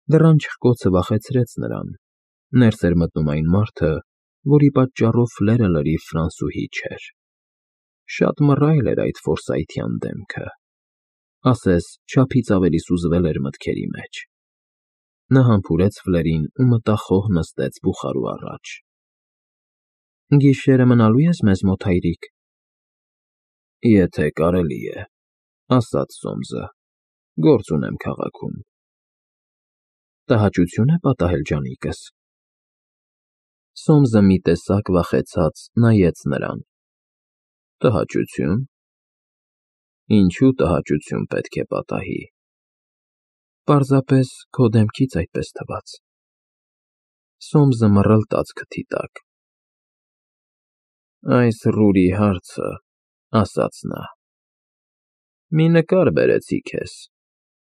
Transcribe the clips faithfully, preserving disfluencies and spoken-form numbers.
Դռան չխկոցը վախեցրեց նրան. ներս էր մտնում այն մարդը, որի պատճառով Ֆլերը լրիվ ֆրանսուհի չէր։ Շատ մռայլ էր այդ ֆորսայթյան դեմքը, ասես չափից ավելի սուզվել էր մտքերի մեջ։ Նա համբուրեց Ֆլերին ու մտախոհ նստեց բուխարու առաջ։ Գիշերը մնալո՞ւ ես մեզ մոտ, հայրիկ։ Եթե կարելի է, ասաց Սոմսը, գործ ունեմ քաղաքում։ Տհաճությո՞ւն է պատահել, ջանիկս։ Սոմսը մի տեսակ վախեցած նայեց նրան։ Տհաճությո՞ւն։ Ինչու տհաճություն պետք է պատահի։ Պարզապես քո դեմքից այդպես թվաց։ Սոմսը մռլտաց քթի տակ։ Այս ռուրի հարցը, ասաց նա։ Մի նկար բերեցի քեզ,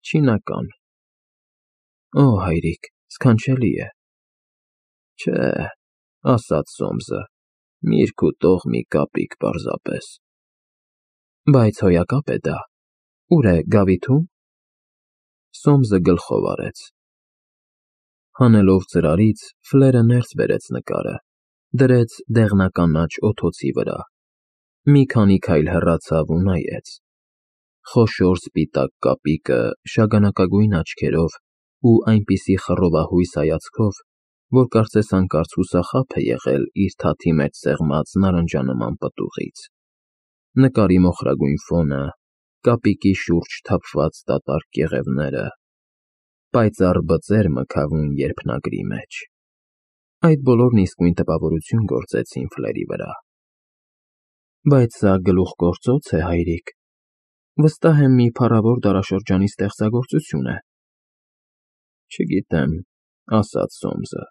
չինական։ Օ, հայրիկ, սքանչելի է։ Չէ, ասաց Սոմսը, միրգ ու տող մի կապիկ պարզապես։ Բայց հոյակապ է դա։ Ուր է, գավիթո՞ւմ։ Սոմսը գլխով արեց։ Հանելով ծրարից, Ֆլերը ներս բերեց նկարը, դրեց դեղնականաչ օձոցի վրա, մի քանի քայլ հեռացավ ու նայեց։ Խոշոր սպիտակ կապիկը շագանակագույն աչքերով ու այնպիսի խռովահույս հայացքով, որ կարծես հանկարծ հուսախաբ է եղել իր թաթի մեջ սեղմած նարնջանման պտուղից։ Նկարի մոխրագույն ֆոնը, կապիկի շուրջ թափված դատարկ կեղևները, պայծառ բծեր մգավուն երփնագրի մեջ։ Այդ բոլորն իսկույն տպավորություն գործեցին Ֆլերի վրա։ Բայց սա գլուխգործոց է, հայրիկ։ Վստահ եմ մի փառավոր դարաշրջանի ստեղծագործություն է։ Չգիտեմ, ասաց Սոմսը,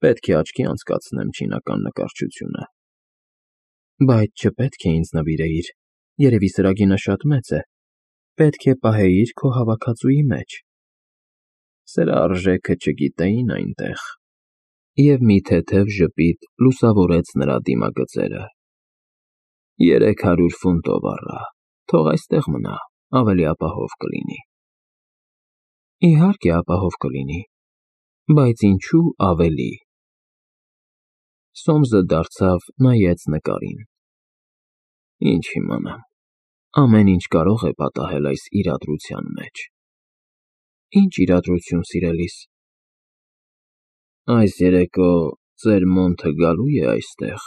պետք է աչքի անցկացնեմ չինական նկարչությունը։ Բայց չպետք է ինձ նվիրեիր, երևի սրագինը շատ մեծ է, պետք է պահեիր քո հավաքածուի մեջ։ Սրա արժեքը չգիտեին այնտեղ։ Եվ մի թեթև ժպիտ լուսավորեց նրա դիմագծերը։ Երեք հարյուր ֆունտով առա, թող այստեղ մնա, ավելի ապահով կլինի։ Իհարկե ապահով կլինի, բայց ինչու ավելի։ Սոմսը դարձավ, նայեց նկարին։ Ինչ իմանամ, ամեն ինչ կարող է պատահել այս իրադրության մեջ։ Ինչ իրադրություն, սիրելիս։ Այս երեկո ծեր Մոնթը գալու՞ է այստեղ։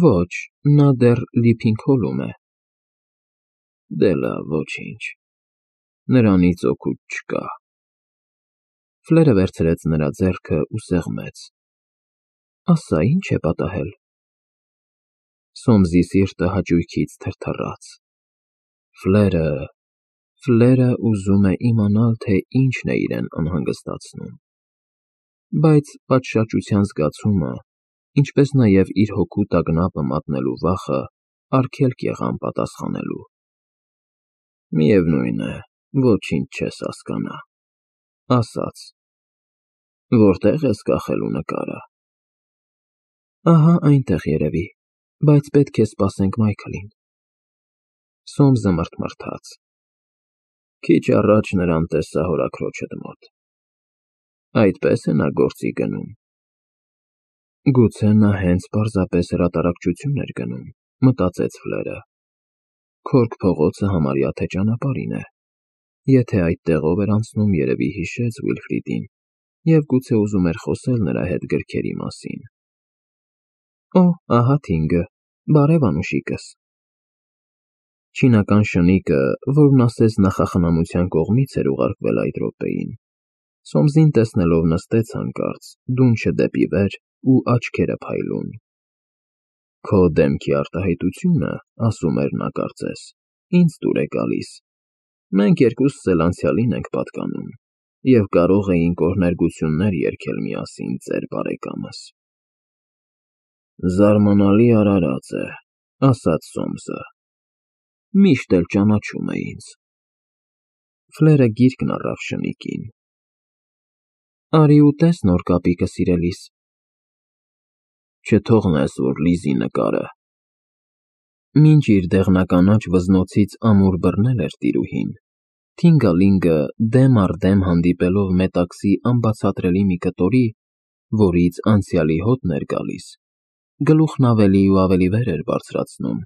Ոչ, նա դեռ Լիփինգհոլում է։ Դե լավ, ոչինչ, նրանից օգուտ չկա։ Ֆլերը վերցրեց նրա ձեռքը ու սեղմեց։ Ասա, ինչ է պատահել։ Սոմսի սիրտը հաճույքից թրթռաց։ Ֆլերը, Ֆլերը ուզում է իմանալ, թե ինչն է իրեն անհանգստացնում։ Բայց պատշաճության զգացումը, ինչպես նաև իր հոգու տագնապը մատնելու վախը արգելք եղան պատասխանելու։ Միևնույն է, ոչինչ չես հասկանա, ասաց։ Որտե՞ղ ես կախելու նկարը։ Ահա այնտեղ երևի, բայց պետք է սպասենք Մայքլին։ Սոմսը մռթմռթաց։ Քիչ առաջ նրան տեսա հորաքրոջդ մոտ։ Այդպես է նա գործի գնում։ Գուցե նա հենց պարզապես հրատարակչություն էր գնում, մտածեց Ֆլերը։ Քորք փողոցը համարյա թե ճանապարհին է։ Եթե այդ տեղով էր անցնում, երևի հիշեց Վիլֆրիդին և գուցե ուզում էր խոսել նրա հետ գրքերի մասին։ Օ, ահա Թինգը, բարև անուշիկս։ Չինական շնիկը, որն ասես նախախնամության կողմից էր ուղարկվել այդ րոպեին, Սոմսին տեսնելով նստեց հանկարծ, դունչը դեպի վեր ու աչքերը փայլուն։ Քո դեմքի արտահայտությունը, ասում էր նա կարծես, ինձ դուր է գալիս։ Մենք երկուսս էլ անցյալին ենք պատկանում և կարող էինք օրհներգություններ երգել միասին ծեր բարեկամս։ Զարմանալի արարած է, ասաց Սոմսը։ Միշտ էլ ճանաչում է ինձ։ Ֆլերը գիրկն առավ շնիկին։ Արի ուտես նոր կապիկը, սիրելիս։ Չթողնես, որ Լիզի նկարը։ Մինչ իր դեղնականաչ վզնոցից ամուր բռնել էր տիրուհին, Թինգալինգը դեմ առ դեմ հանդիպելով Մետաքսի անբացատրելի մի կտորի, որից անցյալի հոտն էր գալիս, գլուխն ավելի ու ավելի վեր էր բարձրացնում,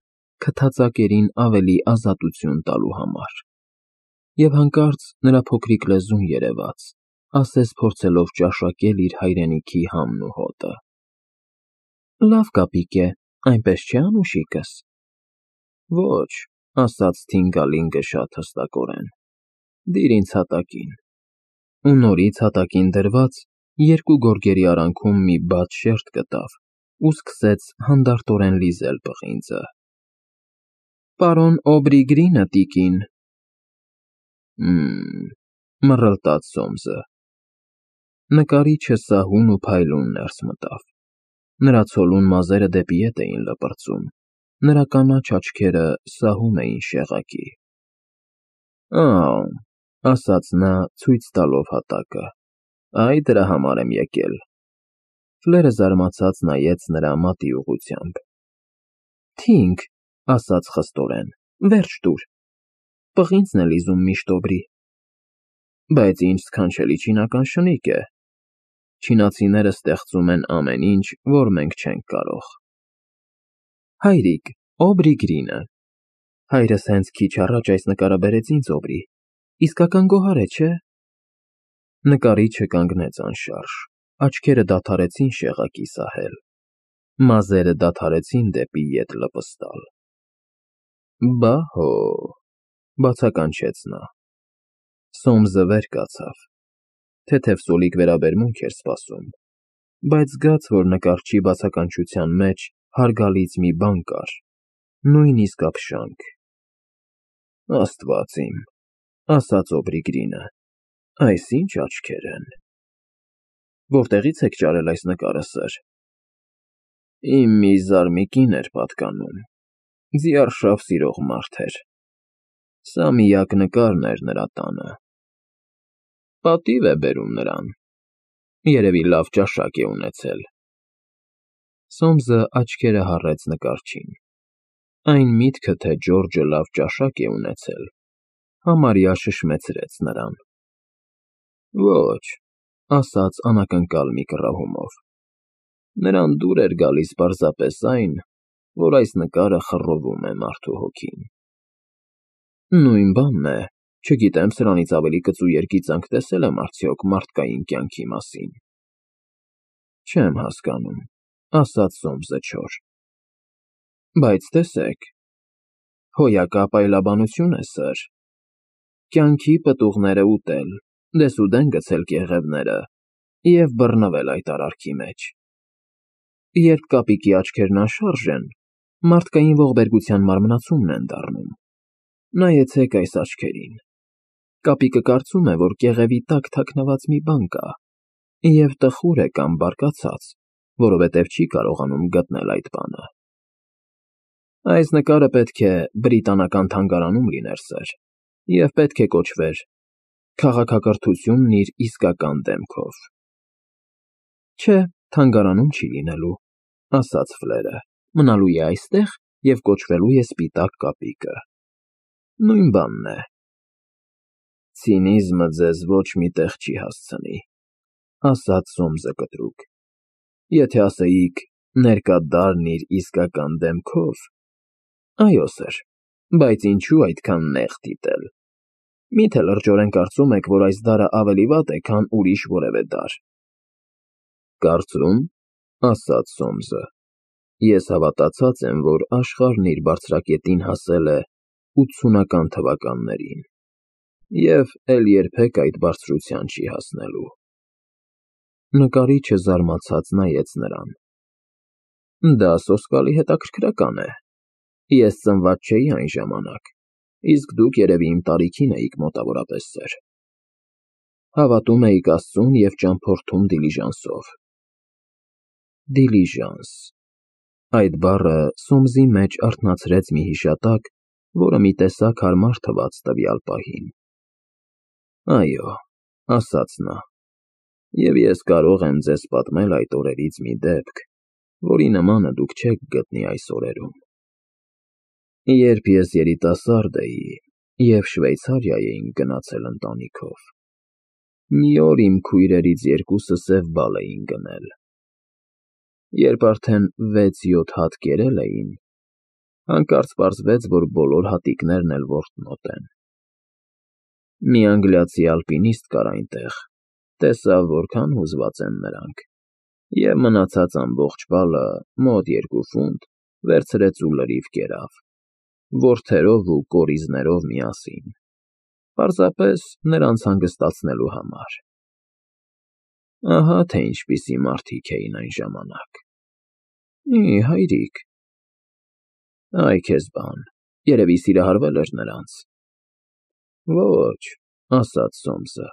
քթածակերին ավելի ազատություն տալու համար։ Եվ հանկարծ նրա փոքրիկ լեզուն երևաց, ասես փորձելով ճաշակել իր հայրենիքի համն ու հոտը։ Լավ կապիկ է, այնպես չէ՞ անուշիկս։ Ոչ, ասաց Թինգալինգը շատ հստակորեն, դիր ինձ հատակին։ Ու նորից հատակին դրված երկու գորգերի արանքում մի բաց շերտ գտավ ու սկսեց հանդարտորեն լիզել պղինձը։ Պարոն Օբրիգրինը, տիկին։ Մմ, մռլտաց Սոմսը։ Նկարիչը սահուն ու փայլուն ներս մտավ։ Նրա ցոլուն մազերը դեպի ետ էին լպրծում, նրա կանաչ աչքերը սահում էին շեղակի։ Ա՜, ասաց նա, ցույց տալով հատակը, այ դրա համար եմ եկել։ Ֆլերը զարմացած նայեց նրա մատի ուղղությամբ։ Թինգ, ասաց խստորեն, վերջ տուր։ Պղինձն է լիզում միշտ Օբրի։ Բայց ինչ սքանչելի չինական շնիկ է։ Չինացիները ստեղծում են ամեն ինչ, որ մենք չենք կարող։ Հայրիկ, Օբրիգրինը։ Հայրս հենց քիչ առաջ այս նկարը բերեց ինձ Օբրի, իսկական գոհար է, չէ՞։ Նկարիչը կանգնեց անշարժ, աչքերը դադարեցին շեղակի սահել, մազերը դադարեցին դեպի ետ լպստալ։ Բա հո, բացականչեց նա։ Սոմսը վեր կացավ, թեթև սոլիկ վերաբերմունք էր սպասում, բայց զգաց, որ նկարչի բացականչության մեջ հարգալից մի բան կար, նույնիսկ ապշանք։ Աստված իմ, ասաց Օբրիգրինը, այս ինչ աչքեր են։ Որտեղից եք ճարել այս նկարը, սըր։ Իմ մի զարմիկին էր պատկանում, ձիարշավ սիրող մարդ էր։ Սա միակ նկարն էր նրա տանը։ Պատիվ է բերում նրան։ Երևի լավ ճաշակ է ունեցել։ Սոմսը աչքերը հառեց նկարչին։ Այն միտքը, թե Ջորջը լավ ճաշակ է ունեցել, համարյա շշմեցրեց նրան։ Ոչ, ասաց անակնկալ մի կռահումով։ Նրան դուր էր գալիս պարզապես այն, որ այս նկարը խռովում է մարդու հոգին։ Նույն բանն է, չգիտեմ սրանից ավելի կծու երգիծանք տեսել եմ արդյոք մարդկային կյանքի մասին։ Չեմ հասկանում, ասաց Սոմսը չոր։ Բայց տեսեք, հոյակապ այլաբանություն է, սըր։ Կյանքի պտուղները ուտել, դեսուդեն գցել կեղևները և բռնվել այդ արարքի մեջ։ Երբ կապիկի աչքերն անշարժ են, մարդկային ողբերգության մարմնացումն են դառնում։ Նայեցեք այս աչքերին։ Կապիկը կարծում է, որ կեղևի տակ թաքնված մի բան կա, և տխուր է կամ բարկացած, որովհետև չի կարողանում գտնել այդ բանը։ Այս նկարը պետք է բրիտանական թանգարանում լիներ, սըր, և պետք է կոչվեր «Քաղաքակրթությունն իր իսկական դեմքով»։ Չէ, թանգարանում չի լինելու, ասաց Ֆլերը, մնալու է այստեղ և կոչվելու է Սպիտակ կապիկը։ Նույն բանն է։ Ցինիզմը ձեզ ոչ մի տեղ չի հասցնի, ասաց Սոմսը կտրուկ։ Եթե ասեիք «ներկա դարն իր իսկական դեմքով», այո, սըր, բայց ինչու այդքան նեղ դիտել։ Մի՞թե լրջորեն կարծում եք, որ այս դարը ավելի վատ է, քան ուրիշ որևէ դար։ Կարծում, ասաց Սոմսը, ես հավատացած եմ, որ աշխարհն իր բարձրակետին հասել է ութսունական թվականներին և էլ երբեք այդ բարձրության չի հասնելու։ Նկարիչը զարմացած նայեց նրան։ Դա սոսկալի հետաքրքրական է։ Ես ծնված չէի այն ժամանակ, իսկ դուք երևի իմ տարիքին էիք մոտավորապես, սըր։ Հավատում էիք Աստծուն և ճամփորդում դիլիժանսով։ Դիլիժանս։ Այդ բառը Սոմսի մեջ արթնացրեց մի հիշատակ, որը մի տեսակ հարմար թվաց տվյալ պահին։ Այո, ասաց նա, և ես կարող եմ ձեզ պատմել այդ օրերից մի դեպք, որի նմանը դուք չեք գտնի այս օրերում։ Երբ ես երիտասարդ էի, և Շվեյցարիա էինք գնացել ընտանիքով։ Մի օր իմ քույրերից երկուսը սև բալ էին գնել։ Երբ արդեն վեց֊յոթ հատ կերել էին, հանկարծ պարզվեց, որ բոլոր հատիկներն էլ որտնոտ են։ Մի անգլիացի ալպինիստ կար այնտեղ, տեսավ որքան հուզված են նրանք, և մնացած ամբողջ բալը, մոտ երկու ֆունտ, վերցրեց ու լրիվ կերավ, որդերով ու կորիզներով միասին, պարզապես նրանց հանգստացնելու համար։ Ահա թե ինչպիսի մարդիկ էին այն ժամանակ։ Ի՜, հայրիկ… Այ քեզ բան, երևի սիրահարվել էր նրանց։ Ոչ, ասաց Սոմսը,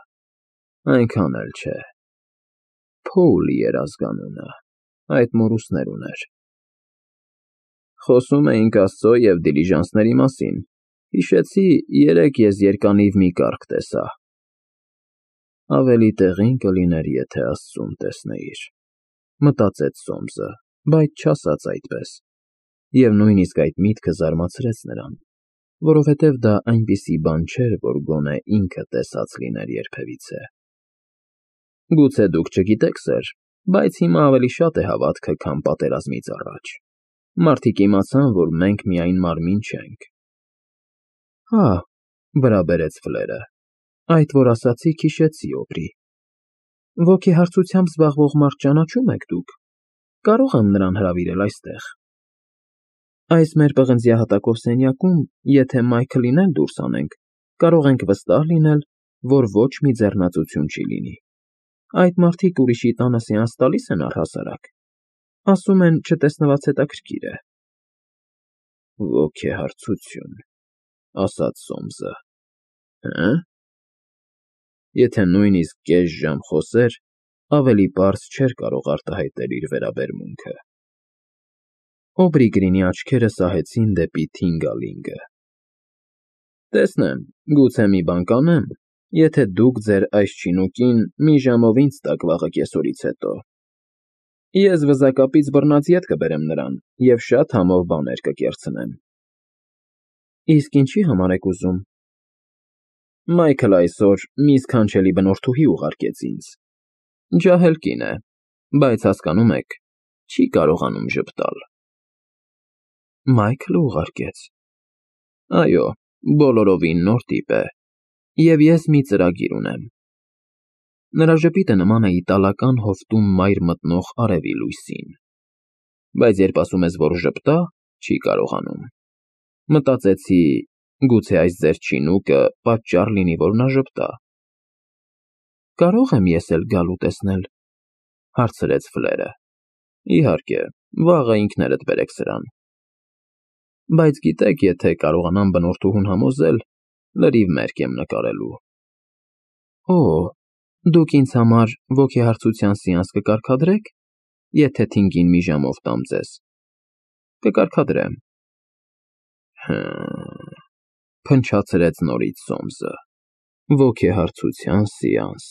այնքան էլ չէ։ Փոուլի էր ազգանունը, այդ մորուսներ ուներ։ Խոսում էինք աստծո և դիլիժանսների մասին, հիշեցի, երեկ ես երկանիվ մի կառք տեսա։ Ավելի տեղին կլիներ, եթե աստծուն տեսնեիր, մտածեց Սոմսը, բայց չասաց այդպես, և նույնիսկ այդ միտքը զարմացրեց նրան, որովհետև դա այնպիսի բան չէր, որ գոնե ինքը տեսած լիներ երբևիցե։ Գուցե դուք չգիտեք, սըր, բայց հիմա ավելի շատ է հավատքը, քան պատերազմից առաջ։ Մարդիկ իմացան, որ մենք միայն մարմին չենք։ Հա, վրա բերեց Ֆլերը, այդ, որ ասացիք, հիշեցի, Օբրի։ Ոգեհարցությամբ զբաղվող մարդ ճանաչո՞ւմ եք դուք, կարո՞ղ եմ նրան հրավիրել այստեղ։ Այս մեր պղնձյահատակով սենյակում, եթե Մայքլին էլ դուրս անենք, կարող ենք վստահ լինել, որ ոչ մի ձեռնածություն չի լինի։ Այդ մարդիկ ուրիշի տանը սեանս տալի՞ս են առհասարակ։ Ասում են, չտեսնված հետաքրքիր է։ Ոգեհարցություն, ասաց Սոմսը, հը՞։ Եթե նույնիսկ կես ժամ խոսեր, ավելի պարզ չէր կարող արտահայտել իր վերաբերմունքը։ Օբրի Գրինի աչքերը սահեցին դեպի Թինգալինգը։ Տեսնեմ, գուցե մի բան կանեմ, եթե դուք ձեր այս չինուկին մի ժամով ինձ տաք վաղը կեսօրից հետո։ Ես վզակապից բռնած ետ կբերեմ նրան և շատ համով բաներ կկերցնեմ։ Իսկ ինչի համար եք ուզում։ Մայքլը այսօր մի սքանչելի բնորդուհի ուղարկեց ինձ։ Ջահել կին է, բայց հասկանում եք, չի կարողանում ժպտալ։ Մայքլը ուղարկեց։ Այո, բոլորովին նոր տիպ է, և ես մի ծրագիր ունեմ։ Նրա ժպիտը նման է իտալական հովտում մայր մտնող արևի լույսին, բայց երբ ասում ես, որ ժպտա, չի կարողանում։ Մտածեցի, գուցե այս ձեր չինուկը պատճառ լինի, որ նա ժպտա։ Կարո՞ղ եմ ես էլ գալ ու տեսնել, հարցրեց Ֆլերը։ Իհարկե, վաղը ինքներդ բերեք սրան։ Բայց գիտեք, եթե կարողանամ բնորդուհուն համոզել, լրիվ մերկ եմ նկարելու։ Օ, դուք ինձ համար ոգեհարցության սեանս կկարգադրե՞ք, եթե Թինգին մի ժամով տամ ձեզ։ Կկարգադրեմ։ Հը՜մ, փնչացրեց նորից Սոմսը։ Ոգեհարցության սեանս,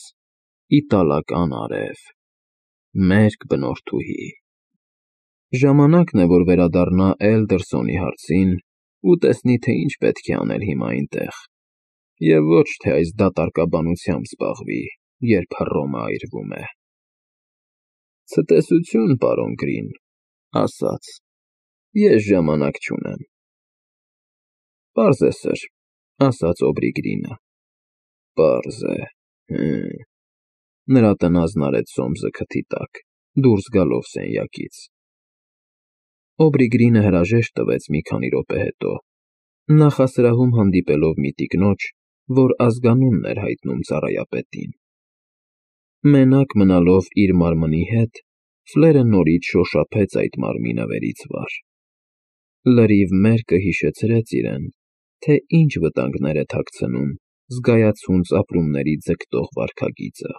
իտալական արև, մերկ բնորդուհի։ Ժամանակն է, որ վերադառնա Էլդերսոնի հարցին ու տեսնի, թե ինչ պետք է անել հիմա այնտեղ, և ոչ թե այս դատարկաբանությամբ զբաղվի, երբ Հռոմը այրվում է։ Ցտեսություն, պարոն Գրին, ասաց, ես ժամանակ չունեմ։ Պարզ է, սըր, ասաց Օբրի Գրինը։ Պարզ է, հը։ Նրա տնազն արեց Սոմսը քթի տակ, դուրս գալով սենյակից։ Օբրի Գրինը հրաժեշտ տվեց մի քանի րոպե հետո, նախասրահում հանդիպելով մի տիկնոջ, որ ազգանունն էր հայտնում ծառայապետին։ Մենակ մնալով իր մարմնի հետ, Ֆլերը նորից շոշափեց այդ մարմինը վերից վար։ Լրիվ մերկը հիշեցրեց իրեն, թե ինչ վտանգներ է թաքցնում զգայացունց ապրումների ձգտող վարքագիծը։